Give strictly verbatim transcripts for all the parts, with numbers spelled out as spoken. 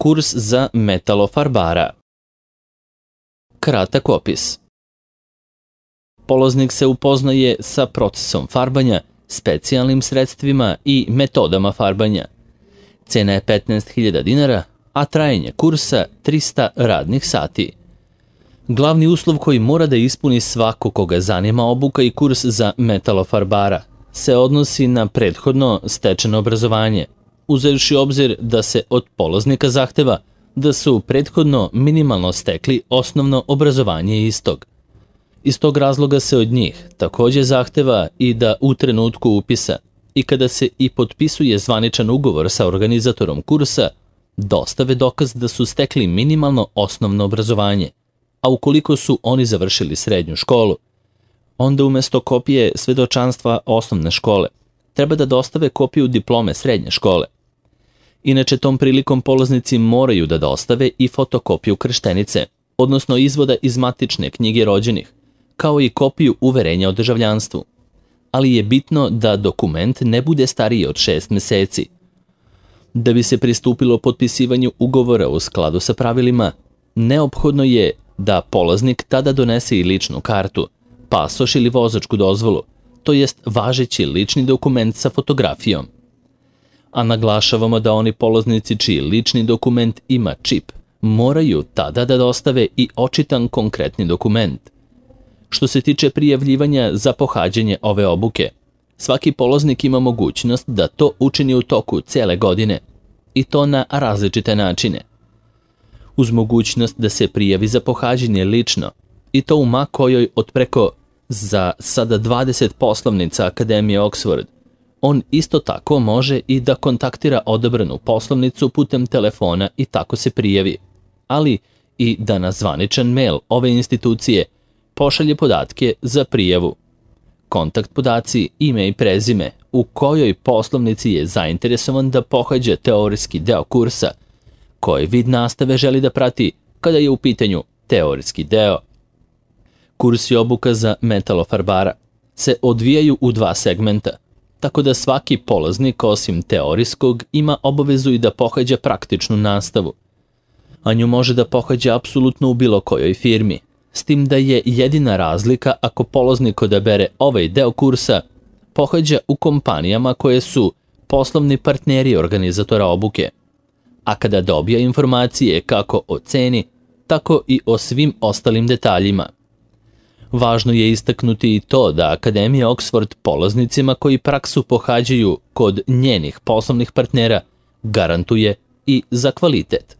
Kurs za metalofarbara. Kratak opis. Polaznik se upoznaje sa procesom farbanja, specijalnim sredstvima i metodama farbanja. Cena je petnaest hiljada dinara, a trajanje kursa trista radnih sati. Glavni uslov koji mora da ispuni svako koga zanima obuka i kurs za metalofarbara se odnosi na prethodno stečeno obrazovanje, uzevši obzir da se od polaznika zahteva da su prethodno minimalno stekli osnovno obrazovanje istog. Iz tog razloga se od njih takođe zahteva i da u trenutku upisa i kada se i potpisuje zvaničan ugovor sa organizatorom kursa, dostave dokaz da su stekli minimalno osnovno obrazovanje, a ukoliko su oni završili srednju školu, onda umesto kopije svedočanstva osnovne škole treba da dostave kopiju diplome srednje škole. Inače, tom prilikom polaznici moraju da dostave i fotokopiju krštenice, odnosno izvoda iz matične knjige rođenih, kao i kopiju uverenja o državljanstvu. Ali je bitno da dokument ne bude stariji od šest meseci. Da bi se pristupilo potpisivanju ugovora u skladu sa pravilima, neophodno je da polaznik tada donese i ličnu kartu, pasoš ili vozačku dozvolu, to jest važeći lični dokument sa fotografijom. A naglašavamo da oni polaznici čiji lični dokument ima čip moraju tada da dostave i očitan konkretni dokument. Što se tiče prijavljivanja za pohađanje ove obuke, svaki polaznik ima mogućnost da to učini u toku cele godine, i to na različite načine. Uz mogućnost da se prijavi za pohađanje lično, i to u ma kojoj od preko za sada dvadeset poslovnica Akademije Oxford, on isto tako može i da kontaktira odabranu poslovnicu putem telefona i tako se prijavi, ali i da na zvaničan mail ove institucije pošalje podatke za prijavu. Kontakt podaci, ime i prezime, u kojoj poslovnici je zainteresovan da pohađa teorijski deo kursa, koji vid nastave želi da prati kada je u pitanju teorijski deo. Kurs i obuka za metalofarbara se odvijaju u dva segmenta, tako da svaki polaznik osim teorijskog ima obavezu i da pohađa praktičnu nastavu. A nju može da pohađa apsolutno u bilo kojoj firmi, s tim da je jedina razlika ako polaznik odabere ovaj deo kursa pohađa u kompanijama koje su poslovni partneri organizatora obuke, a kada dobija informacije kako o ceni, tako i o svim ostalim detaljima. Važno je istaknuti i to da Akademija Oxford polaznicima koji praksu pohađaju kod njenih poslovnih partnera garantuje i za kvalitet.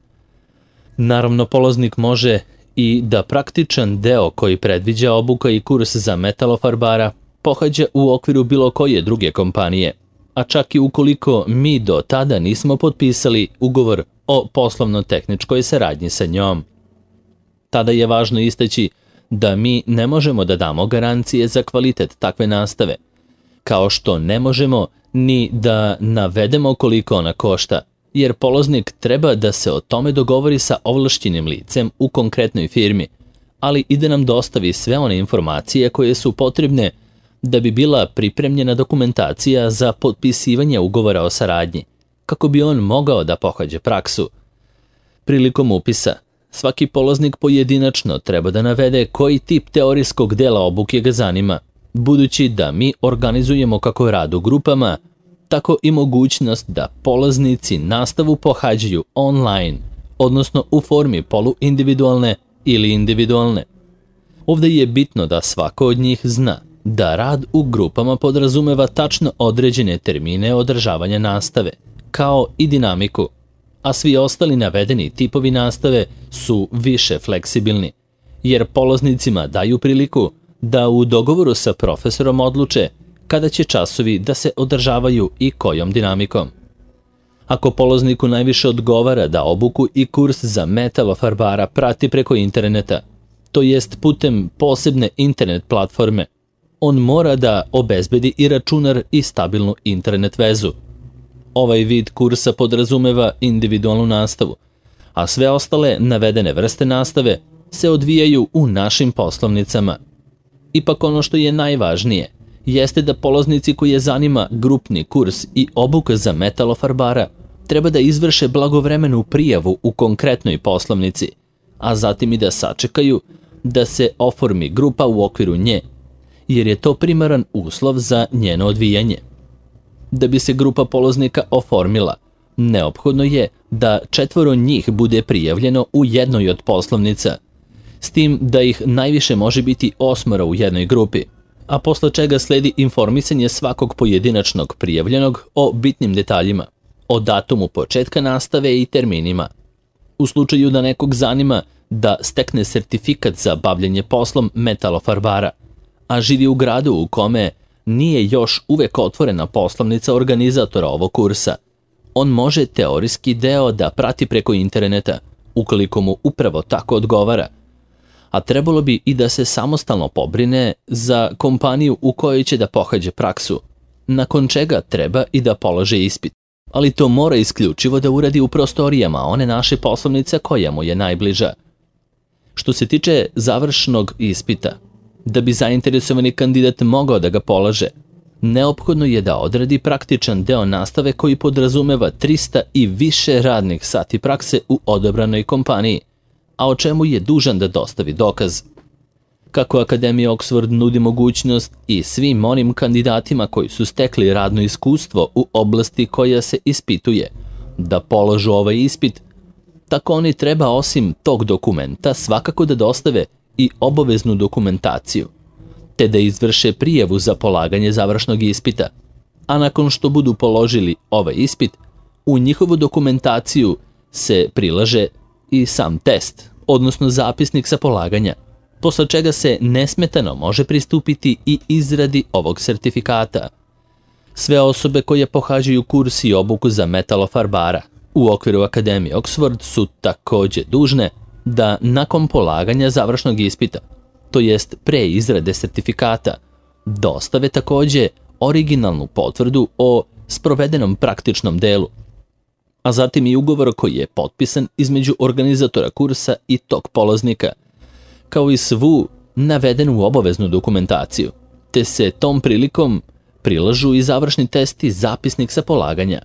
Naravno, polaznik može i da praktičan deo koji predviđa obuka i kurs za metalofarbara pohađa u okviru bilo koje druge kompanije, a čak i ukoliko mi do tada nismo potpisali ugovor o poslovno-tehničkoj saradnji sa njom. Tada je važno istaći da mi ne možemo da damo garancije za kvalitet takve nastave, kao što ne možemo ni da navedemo koliko ona košta, jer polaznik treba da se o tome dogovori sa ovlašćenim licem u konkretnoj firmi, ali i da nam dostavi sve one informacije koje su potrebne da bi bila pripremljena dokumentacija za potpisivanje ugovora o saradnji, kako bi on mogao da pohađa praksu. Prilikom upisa, svaki polaznik pojedinačno treba da navede koji tip teorijskog dela obuke ga zanima, budući da mi organizujemo kako rad u grupama, tako i mogućnost da polaznici nastavu pohađaju online, odnosno u formi poluindividualne ili individualne. Ovde je bitno da svako od njih zna da rad u grupama podrazumeva tačno određene termine održavanja nastave, kao i dinamiku, a svi ostali navedeni tipovi nastave su više fleksibilni, jer polaznicima daju priliku da u dogovoru sa profesorom odluče kada će časovi da se održavaju i kojom dinamikom. Ako polazniku najviše odgovara da obuku i kurs za metalofarbara prati preko interneta, to jest putem posebne internet platforme, on mora da obezbedi i računar i stabilnu internet vezu. Ovaj vid kursa podrazumeva individualnu nastavu, a sve ostale navedene vrste nastave se odvijaju u našim poslovnicama. Ipak ono što je najvažnije jeste da polaznici koji je zanima grupni kurs i obuka za metalofarbara treba da izvrše blagovremenu prijavu u konkretnoj poslovnici, a zatim i da sačekaju da se oformi grupa u okviru nje, jer je to primaran uslov za njeno odvijanje. Da bi se grupa polaznika oformila, neophodno je da četvoro njih bude prijavljeno u jednoj od poslovnica, s tim da ih najviše može biti osmoro u jednoj grupi, a posle čega sledi informisanje svakog pojedinačnog prijavljenog o bitnim detaljima, o datumu početka nastave i terminima. U slučaju da nekog zanima da stekne sertifikat za bavljanje poslom metalofarbara, a živi u gradu u kome nije još uvek otvorena poslovnica organizatora ovog kursa, on može teorijski deo da prati preko interneta, ukoliko mu upravo tako odgovara, a trebalo bi i da se samostalno pobrine za kompaniju u kojoj će da pohađa praksu, nakon čega treba i da polože ispit. Ali to mora isključivo da uradi u prostorijama one naše poslovnice koja mu je najbliža. Što se tiče završnog ispita, da bi zainteresovani kandidat mogao da ga polaže, neophodno je da odradi praktičan deo nastave koji podrazumeva trista i više radnih sati prakse u odabranoj kompaniji, a o čemu je dužan da dostavi dokaz. Kako Akademija Oxford nudi mogućnost i svim onim kandidatima koji su stekli radno iskustvo u oblasti koja se ispituje da polažu ovaj ispit, tako oni treba osim tog dokumenta svakako da dostave i obaveznu dokumentaciju, te da izvrše prijavu za polaganje završnog ispita, a nakon što budu položili ovaj ispit, u njihovu dokumentaciju se prilaže i sam test, odnosno zapisnik sa polaganja, posle čega se nesmetano može pristupiti i izradi ovog sertifikata. Sve osobe koje pohađaju kurs i obuku za metalofarbara u okviru Akademije Oxford su takođe dužne da nakon polaganja završnog ispita, to jest pre izrade sertifikata, dostave takođe originalnu potvrdu o sprovedenom praktičnom delu, a zatim i ugovor koji je potpisan između organizatora kursa i tog polaznika, kao i svu navedenu obaveznu dokumentaciju, te se tom prilikom prilažu i završni test i zapisnik sa polaganja.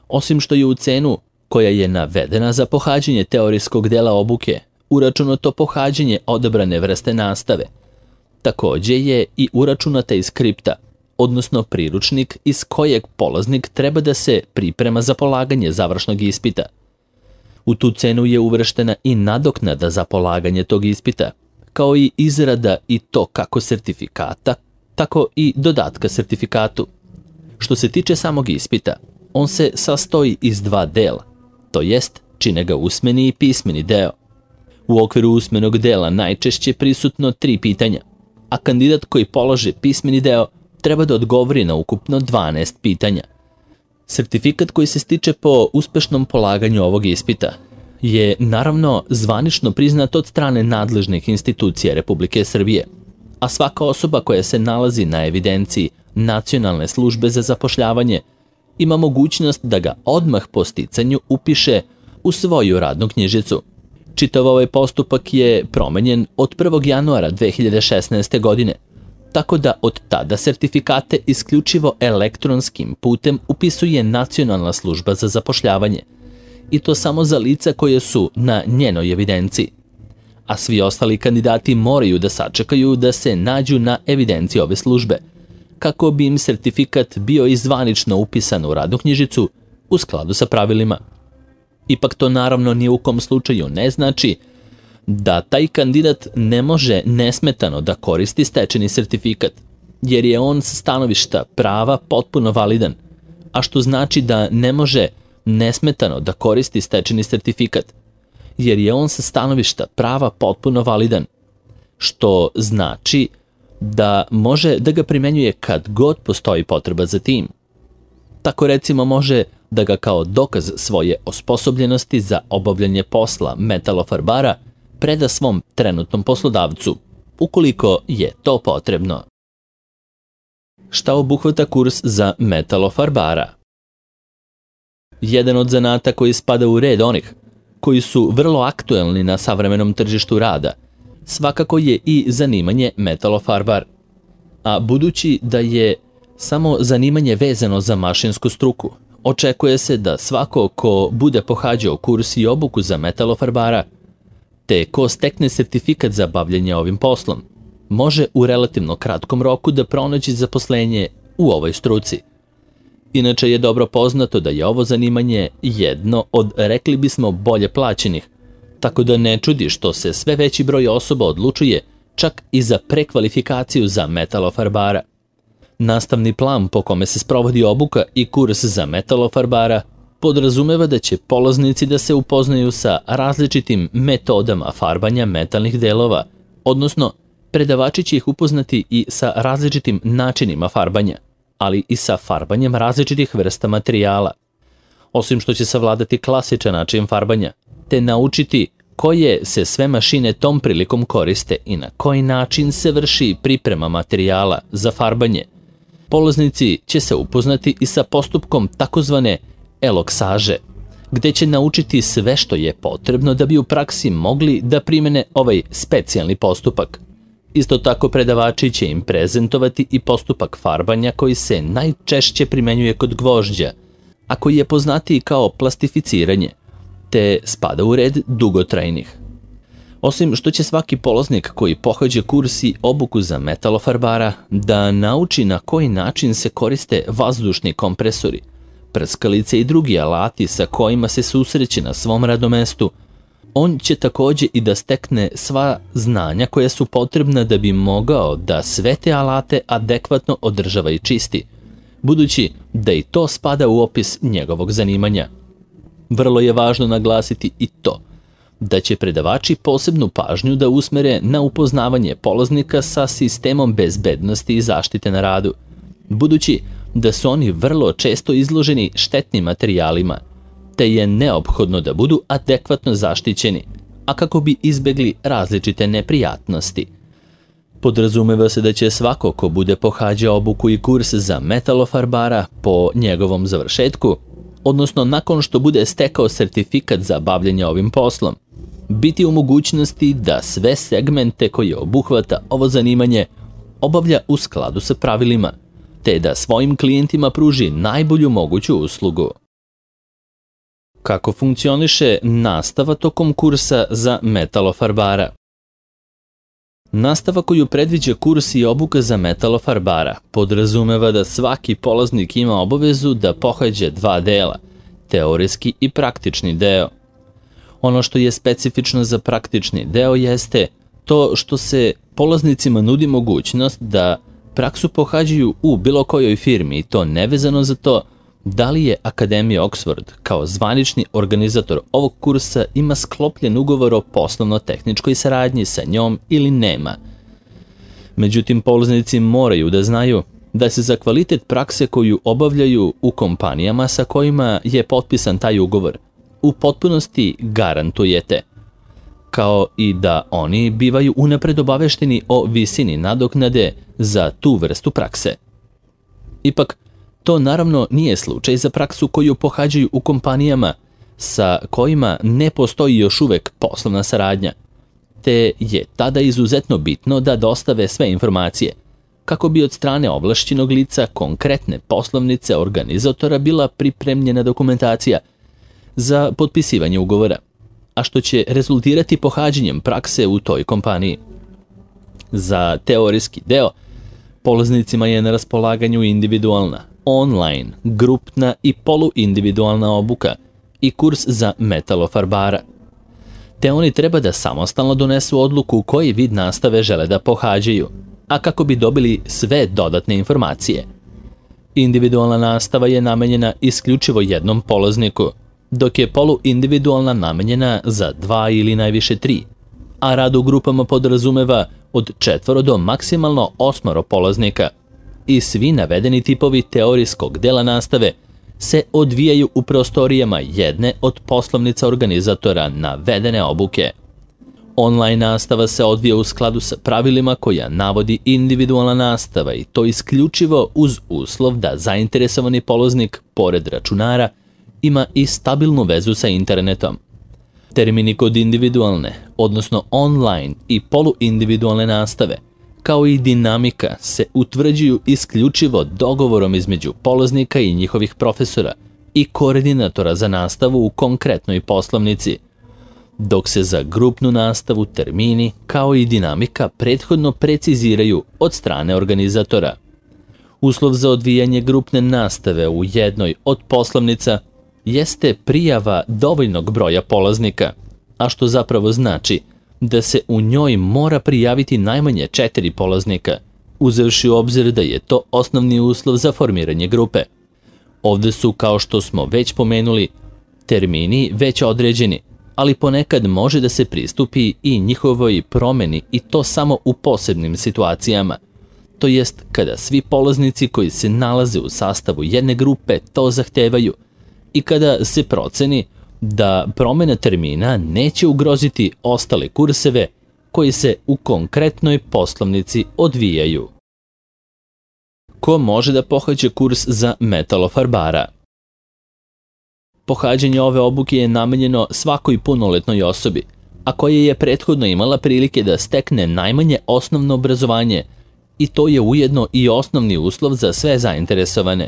Osim što je u cenu koja je navedena za pohađanje teorijskog dela obuke uračunato pohađanje odabrane vrste nastave, takođe je i uračunata i skripta, odnosno priručnik iz kojeg polaznik treba da se priprema za polaganje završnog ispita. U tu cenu je uvrštena i nadoknada za polaganje tog ispita, kao i izrada i to kako sertifikata, tako i dodatka sertifikatu. Što se tiče samog ispita, on se sastoji iz dva dela, to jest čine ga usmeni i pismeni deo. U okviru usmenog dela najčešće prisutno tri pitanja, a kandidat koji polaže pismeni deo treba da odgovori na ukupno dvanaest pitanja. Sertifikat koji se stiče po uspešnom polaganju ovog ispita je naravno zvanično priznat od strane nadležnih institucija Republike Srbije, a svaka osoba koja se nalazi na evidenciji Nacionalne službe za zapošljavanje ima mogućnost da ga odmah po sticanju upiše u svoju radnu knjižicu. Čitav ovaj postupak je promenjen od prvog januara dve hiljade šesnaeste. godine, tako da od tada sertifikate isključivo elektronskim putem upisuje Nacionalna služba za zapošljavanje, i to samo za lica koje su na njenoj evidenciji, a svi ostali kandidati moraju da sačekaju da se nađu na evidenciji ove službe, kako bi im sertifikat bio i zvanično upisan u radnu knjižicu u skladu sa pravilima. Ipak to naravno ni u kom slučaju ne znači da taj kandidat ne može nesmetano da koristi stečeni sertifikat, jer je on sa stanovišta prava potpuno validan, a što znači da ne može nesmetano da koristi stečeni sertifikat, jer je on sa stanovišta prava potpuno validan, što znači da može da ga primenjuje kad god postoji potreba za tim. Tako recimo može da ga kao dokaz svoje osposobljenosti za obavljanje posla metalofarbara preda svom trenutnom poslodavcu, ukoliko je to potrebno. Šta obuhvata kurs za metalofarbara? Jedan od zanata koji spada u red onih koji su vrlo aktuelni na savremenom tržištu rada svakako je i zanimanje metalofarbar, a budući da je samo zanimanje vezano za mašinsku struku, Očekuje se da svako ko bude pohađao kurs i obuku za metalofarbara, te ko stekne sertifikat za bavljanje ovim poslom, može u relativno kratkom roku da pronađe zaposlenje u ovoj struci. Inače je dobro poznato da je ovo zanimanje jedno od, rekli bismo, bolje plaćenih, tako da ne čudi što se sve veći broj osoba odlučuje čak i za prekvalifikaciju za metalofarbara. Nastavni plan po kome se sprovodi obuka i kurs za metalofarbara podrazumeva da će polaznici da se upoznaju sa različitim metodama farbanja metalnih delova, odnosno predavači će ih upoznati i sa različitim načinima farbanja, ali i sa farbanjem različitih vrsta materijala. Osim što će savladati klasičan način farbanja, te naučiti koje se sve mašine tom prilikom koriste i na koji način se vrši priprema materijala za farbanje, polaznici će se upoznati i sa postupkom takozvane eloksaže, gde će naučiti sve što je potrebno da bi u praksi mogli da primene ovaj specijalni postupak. Isto tako predavači će im prezentovati i postupak farbanja koji se najčešće primenjuje kod gvožđa, a koji je poznatiji kao plastificiranje, te spada u red dugotrajnih. Osim što će svaki polaznik koji pohađa kurs i obuku za metalofarbara da nauči na koji način se koriste vazdušni kompresori, prskalice i drugi alati sa kojima se susreće na svom radnom mestu, on će takođe i da stekne sva znanja koja su potrebna da bi mogao da sve te alate adekvatno održava i čisti, budući da i to spada u opis njegovog zanimanja. Vrlo je važno naglasiti i to da će predavači posebnu pažnju da usmere na upoznavanje polaznika sa sistemom bezbednosti i zaštite na radu, budući da su oni vrlo često izloženi štetnim materijalima, te je neophodno da budu adekvatno zaštićeni, a kako bi izbegli različite neprijatnosti. Podrazumeva se da će svako ko bude pohađao obuku i kurs za metalofarbara po njegovom završetku, odnosno nakon što bude stekao sertifikat za bavljanje ovim poslom, biti u mogućnosti da sve segmente koje obuhvata ovo zanimanje obavlja u skladu sa pravilima, te da svojim klijentima pruži najbolju moguću uslugu. Kako funkcioniše nastava tokom kursa za metalofarbara? Nastava koju predviđa kurs i obuka za metalofarbara podrazumeva da svaki polaznik ima obavezu da pohađa dva dela, teorijski i praktični deo. Ono što je specifično za praktični deo jeste to što se polaznicima nudi mogućnost da praksu pohađaju u bilo kojoj firmi i to nevezano za to da li je Akademija Oxford kao zvanični organizator ovog kursa ima sklopljen ugovor o poslovno-tehničkoj saradnji sa njom ili nema. Međutim, polaznici moraju da znaju da se za kvalitet prakse koju obavljaju u kompanijama sa kojima je potpisan taj ugovor u potpunosti garantujete, kao i da oni bivaju unapred obavešteni o visini nadoknade za tu vrstu prakse. Ipak, to naravno nije slučaj za praksu koju pohađaju u kompanijama sa kojima ne postoji još uvek poslovna saradnja, te je tada izuzetno bitno da dostave sve informacije, kako bi od strane ovlašćenog lica konkretne poslovnice organizatora bila pripremljena dokumentacija za potpisivanje ugovora, a što će rezultirati pohađanjem prakse u toj kompaniji. Za teorijski deo, polaznicima je na raspolaganju individualna, online, grupna i poluindividualna obuka i kurs za metalofarbara, te oni treba da samostalno donesu odluku koji vid nastave žele da pohađaju, a kako bi dobili sve dodatne informacije. Individualna nastava je namenjena isključivo jednom polazniku, dok je poluindividualna namenjena za dva ili najviše tri, a rad u grupama podrazumeva od četvoro do maksimalno osmoro polaznika i svi navedeni tipovi teorijskog dela nastave se odvijaju u prostorijama jedne od poslovnica organizatora navedene obuke. Online nastava se odvija u skladu sa pravilima koja navodi individualna nastava i to isključivo uz uslov da zainteresovani polaznik, pored računara, ima i stabilnu vezu sa internetom. Termini kod individualne, odnosno online i poluindividualne nastave, kao i dinamika se utvrđuju isključivo dogovorom između polaznika i njihovih profesora i koordinatora za nastavu u konkretnoj poslovnici, dok se za grupnu nastavu termini kao i dinamika prethodno preciziraju od strane organizatora. Uslov za odvijanje grupne nastave u jednoj od poslovnica jeste prijava dovoljnog broja polaznika, a što zapravo znači da se u njoj mora prijaviti najmanje četiri polaznika, uzevši u obzir da je to osnovni uslov za formiranje grupe. Ovde su, kao što smo već pomenuli, termini već određeni, ali ponekad može da se pristupi i njihovoj promeni i to samo u posebnim situacijama, to jest kada svi polaznici koji se nalaze u sastavu jedne grupe to zahtevaju i kada se proceni da promena termina neće ugroziti ostale kurseve koji se u konkretnoj poslovnici odvijaju. Ko može da pohađa kurs za metalofarbara? Pohađanje ove obuke je namenjeno svakoj punoletnoj osobi, a koja je prethodno imala prilike da stekne najmanje osnovno obrazovanje, i to je ujedno i osnovni uslov za sve zainteresovane.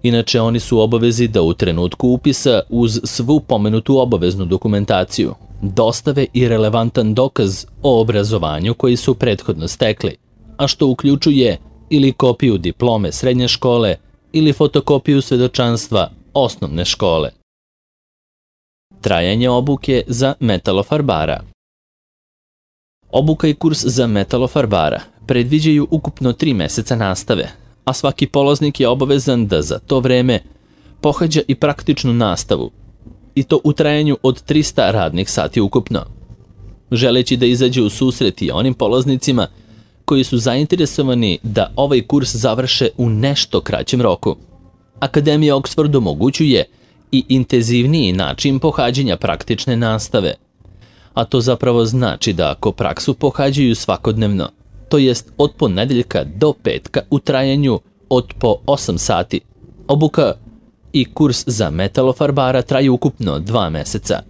Inače, oni su u obavezi da u trenutku upisa uz svu pomenutu obaveznu dokumentaciju dostave i relevantan dokaz o obrazovanju koji su prethodno stekli, a što uključuje ili kopiju diplome srednje škole ili fotokopiju svedočanstva osnovne škole. Trajanje obuke za metalofarbara. Obuka i kurs za metalofarbara predviđaju ukupno tri meseca nastave, a svaki polaznik je obavezan da za to vreme pohađa i praktičnu nastavu, i to u trajanju od trista radnih sati ukupno. Želeći da izađe u susret i onim polaznicima koji su zainteresovani da ovaj kurs završe u nešto kraćem roku, Akademija Oxford omogućuje i intenzivniji način pohađanja praktične nastave, a to zapravo znači da ako praksu pohađaju svakodnevno, to jest od ponedeljka do petka u trajanju od po osam sati, obuka i kurs za metalofarbara traju ukupno dva meseca.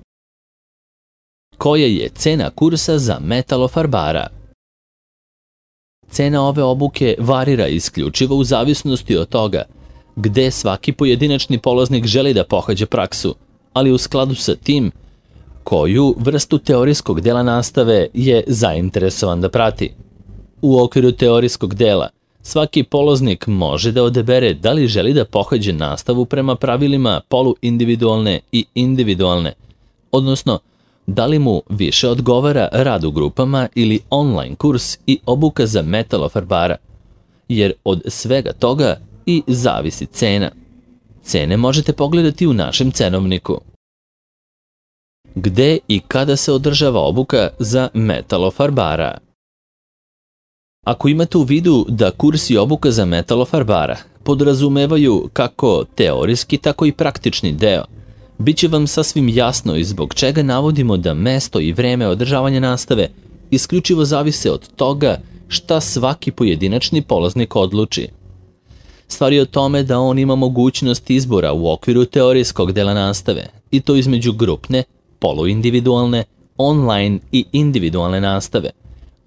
Koja je cena kursa za metalofarbara? Cena ove obuke varira isključivo u zavisnosti od toga gde svaki pojedinačni polaznik želi da pohađa praksu, ali u skladu sa tim koju vrstu teorijskog dela nastave je zainteresovan da prati. U okviru teorijskog dela svaki polaznik može da odabere da li želi da pohađa nastavu prema pravilima poluindividualne i individualne, odnosno da li mu više odgovara rad u grupama ili online kurs i obuka za metalofarbara, jer od svega toga i zavisi cena. Cene možete pogledati u našem cenovniku. Gde i kada se održava obuka za metalofarbara? Ako imate u vidu da kurs i obuka za metalofarbara podrazumevaju kako teorijski, tako i praktični deo, bit će vam sasvim jasno i zbog čega navodimo da mesto i vreme održavanja nastave isključivo zavise od toga šta svaki pojedinačni polaznik odluči. Stvar je o tome da on ima mogućnost izbora u okviru teorijskog dela nastave, i to između grupne, poluindividualne, online i individualne nastave,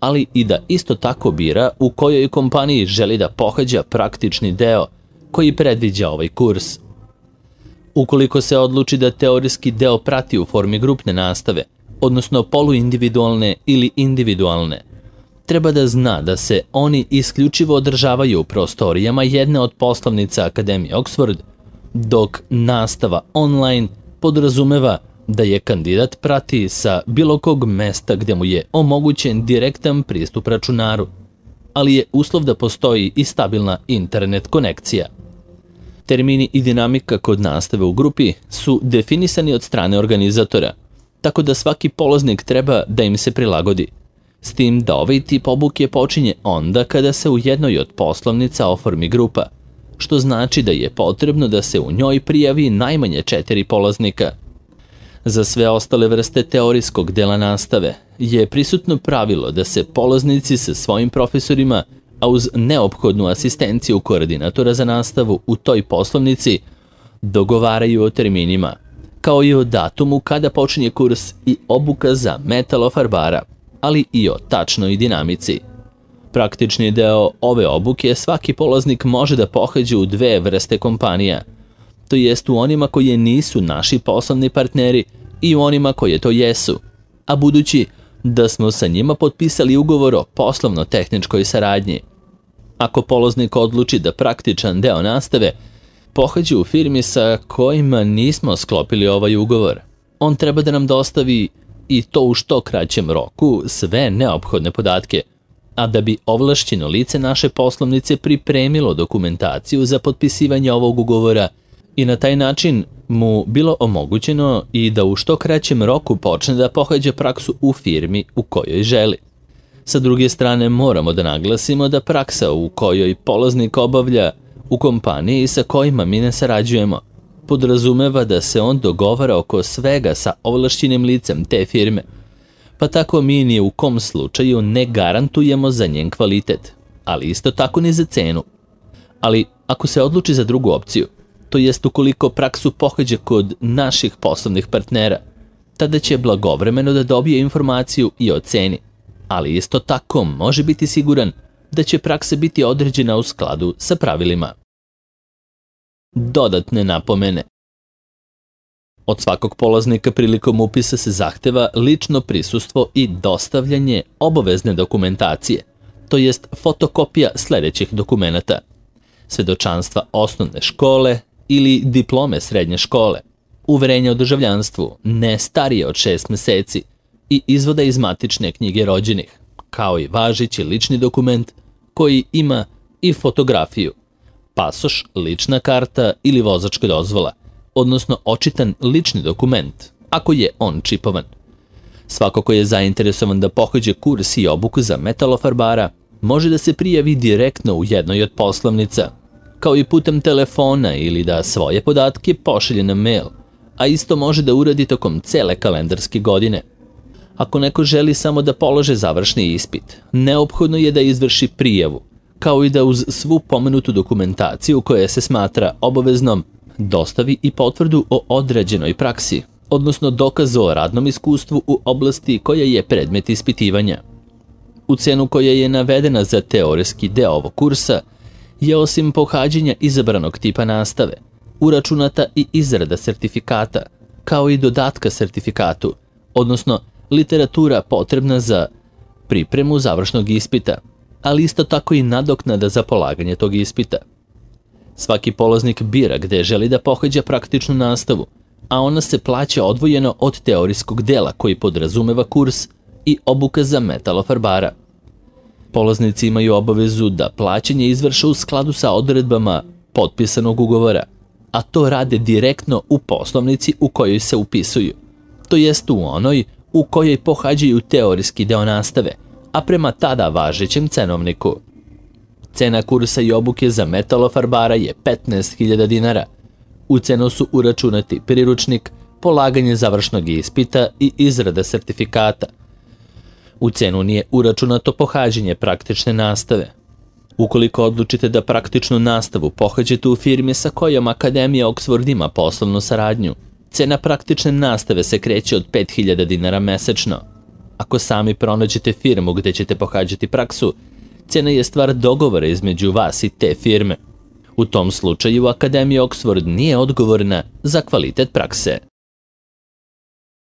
ali i da isto tako bira u kojoj kompaniji želi da pohađa praktični deo koji predviđa ovaj kurs. Ukoliko se odluči da teorijski deo prati u formi grupne nastave, odnosno poluindividualne ili individualne, treba da zna da se oni isključivo održavaju u prostorijama jedne od poslovnica Akademije Oxford, dok nastava online podrazumeva da je kandidat prati sa bilo kog mesta gde mu je omogućen direktan pristup računaru, ali je uslov da postoji i stabilna internet konekcija. Termini i dinamika kod nastave u grupi su definisani od strane organizatora, tako da svaki polaznik treba da im se prilagodi, s tim da ovaj tip obuke počinje onda kada se u jednoj od poslovnica oformi grupa, što znači da je potrebno da se u njoj prijavi najmanje četiri polaznika. Za sve ostale vrste teorijskog dela nastave je prisutno pravilo da se polaznici sa svojim profesorima, a uz neophodnu asistenciju koordinatora za nastavu u toj poslovnici, dogovaraju o terminima, kao i o datumu kada počinje kurs i obuka za metalofarbara, ali i o tačnoj dinamici. Praktični deo ove obuke svaki polaznik može da pohađa u dve vrste kompanija, to jest u onima koji nisu naši poslovni partneri i u onima koje to jesu, a budući da smo sa njima potpisali ugovor o poslovno-tehničkoj saradnji. Ako polaznik odluči da praktičan deo nastave pohađa u firmi sa kojima nismo sklopili ovaj ugovor, on treba da nam dostavi, i to u što kraćem roku, sve neophodne podatke, a da bi ovlašćeno lice naše poslovnice pripremilo dokumentaciju za potpisivanje ovog ugovora i na taj način mu bilo omogućeno i da u što kraćem roku počne da pohađa praksu u firmi u kojoj želi. Sa druge strane, moramo da naglasimo da praksa u kojoj polaznik obavlja u kompaniji sa kojima mi ne sarađujemo podrazumeva da se on dogovara oko svega sa ovlašćenim licem te firme, pa tako mi ni u kom slučaju ne garantujemo za njen kvalitet, ali isto tako ni za cenu. Ali ako se odluči za drugu opciju, to jest ukoliko praksu pohađa kod naših poslovnih partnera, tada će blagovremeno da dobije informaciju i o ceni, ali isto tako može biti siguran da će praksa biti određena u skladu sa pravilima. Dodatne napomene. Od svakog polaznika prilikom upisa se zahteva lično prisustvo i dostavljanje obavezne dokumentacije, to jest fotokopija sledećih dokumenata: svedočanstva osnovne škole ili diplome srednje škole, uverenje o državljanstvu ne starije od šest meseci i izvoda iz matične knjige rođenih, kao i važeći lični dokument koji ima i fotografiju, pasoš, lična karta ili vozačka dozvola, odnosno očitan lični dokument, ako je on čipovan. Svako ko je zainteresovan da pohađa kurs i obuku za metalofarbara može da se prijavi direktno u jednoj od poslovnica, kao i putem telefona ili da svoje podatke pošalje na mail, a isto može da uradi tokom cele kalendarske godine. Ako neko želi samo da polože završni ispit, neophodno je da izvrši prijavu, kao i da uz svu pomenutu dokumentaciju koja se smatra obaveznom dostavi i potvrdu o odrađenoj praksi, odnosno dokaz o radnom iskustvu u oblasti koja je predmet ispitivanja. U cenu koja je navedena za teorijski deo ovog kursa je osim pohađanja izabranog tipa nastave uračunata i izrada sertifikata, kao i dodatka sertifikatu, odnosno literatura potrebna za pripremu završnog ispita, ali isto tako i nadoknada za polaganje tog ispita. Svaki polaznik bira gde želi da pohađa praktičnu nastavu, a ona se plaća odvojeno od teorijskog dela koji podrazumeva kurs i obuka za metalofarbara. Polaznici imaju obavezu da plaćanje izvrše u skladu sa odredbama potpisanog ugovora, a to rade direktno u poslovnici u kojoj se upisuju, to jest u onoj u kojoj pohađaju teorijski deo nastave, a prema tada važećem cenovniku. Cena kursa i obuke za metalofarbara je petnaest hiljada dinara. U cenu su uračunati priručnik, polaganje završnog ispita i izrada sertifikata. U cenu nije uračunato pohađanje praktične nastave. Ukoliko odlučite da praktičnu nastavu pohađate u firmi sa kojom Akademija Oxford ima poslovnu saradnju, cena praktične nastave se kreće od pet hiljada dinara mesečno. Ako sami pronađete firmu gde ćete pohađati praksu, cena je stvar dogovora između vas i te firme. U tom slučaju Akademija Oxford nije odgovorna za kvalitet prakse.